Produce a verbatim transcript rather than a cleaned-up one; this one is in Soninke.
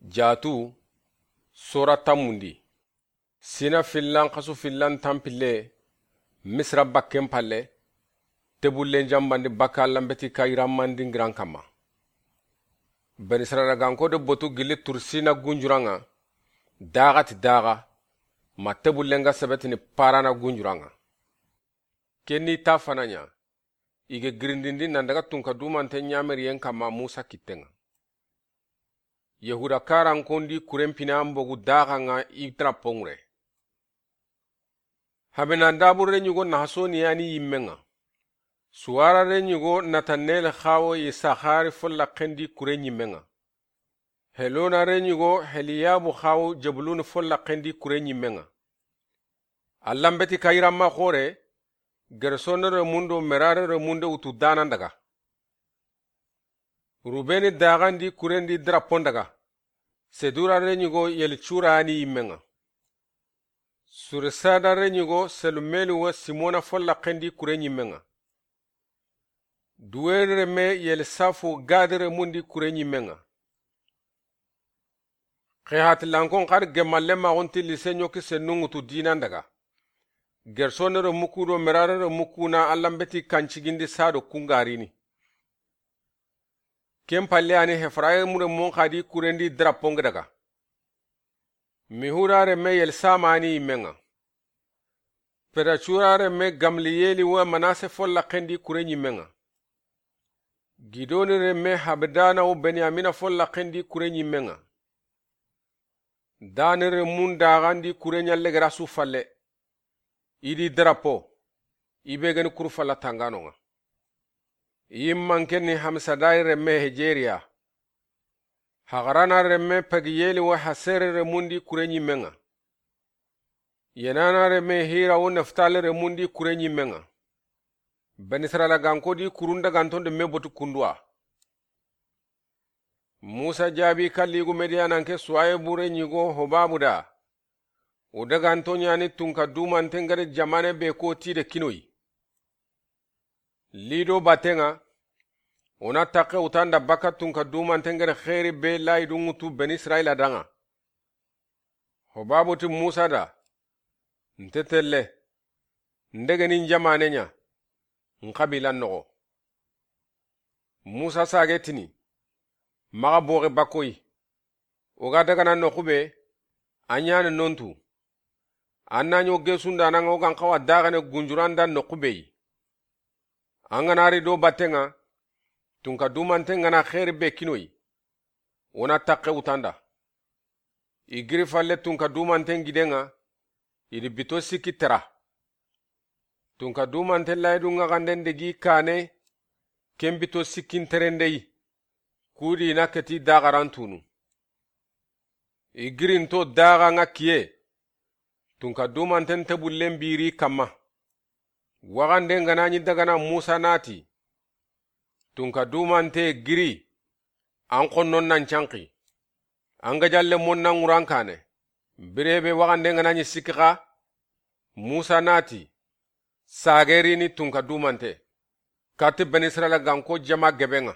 Jaatu, sora tanmundi. Sina fillan xasu fillan tanpille, Misira bakken palle, tebullen janbandi bakka Allanbeti kayiranmandingiran kanma. Beni Israyila ganko de botu gilli Tursina gunjuran ŋa, daxa ti daxa, ma tebullen ga sebetini Parana gunjuran ŋa. Ken ni ta fana ɲa, i ga girindindi nan daga tunka dumante ɲameriyen kanma Musa kitten ŋa. Yahuda karankondi kuren pina an bogu daxa ŋa i drapo ŋure. Habenandabu reɲugo Nahasoni yani yimmen ŋa. Suwara reɲugo Natanel xawo Isahari folla xendi kure ɲimmen ŋa. Helona reɲugo Heliyabu xawo Jebuluni folla xendi kure ɲimmen ŋa. Allanbeti kayiranma xore, Gersone remundo Merare remunde wutu danan daga. Rubeni daxandi kurendi drapon daga. Sedura reɲugo Yelicura yani yimmen ŋa. Suresada reɲugo Selumelu wa Simona folla xendi kure ɲimmen ŋa. Duweri reme Yelisafu Gadi remundi kure ɲimmen ŋa. Xehatilankon xari gemalle maxunti lise ɲoki sennungutu dinan daga. Gersone remuku do Merare remuku na Allanbeti kancigindi sado kungarini. Ken palle ani Hefraimu remun xadi kurendi draponge daga. Mihura reme Yelsama ani yimmen ŋa. Pedacura reme Gamliyeli wa Manase folla xendi kure ɲimmen ŋa. Gidoni reme Habdana wa Benyamina folla xendi kure ɲimmen ŋa. Dani remun daxandi kure ɲalle gera su falle. I di drapo, i be geni kuru falla tanganon ŋa. Yimman ken ni Hamisadai reme Hejeriya. Hagarana reme Pagiyeli wa Hasere remundi kure ɲimmen ŋa. Yenana reme Hira wa Neftali remundi kure ɲimmen ŋa. Beni Israyila ganko di kurun daganton de me botu kunduwa. Musa jaabi kalligu Midiyananke Suwayebu reɲugo Hobabu da. O daganto ɲani tunka dumanten gari jamane be ko ti de kinoyi. Lido batten ŋa, o na taxe wutanda baka tunka dumanten gari xeeri be layidun ŋutu Beni Israyila danŋa. Hobabu ti Musa da, nte telle, n degeni n jamane ɲa, n xabila noxo. Musa sage tini, maxa boxe bakkoyi. O ga dagana noxu be, a ɲani nontu. An na ɲo gesunda nan ŋa o gan xawa daxene gunjuran da noxu be yi. An ga na ri do batten ŋa, tunka dumanten ga na xeeri be kinoyi. O na taxe wutanda. I giri falle tunka dumanten giden ŋa, i di bito sikki tera. Tunka dumanten layidun ŋa xanden degi kane, ken bito sikkin terendeyi. Kudi na keti daxaran tunu. I girinto daxa ŋa kiye. Tunka dumanten tebullen biri kanma. Waxanden ga na ɲi dagana Musa na ti, tunka dumante giri, an xonnon nan canxi. An gajalle mon nan ŋuran kane. Birebe waxanden ga na ɲi sikki xa, Musa na ti, sagerini tunka dumante. Kati Beni Israyila ganko jama geben ŋa.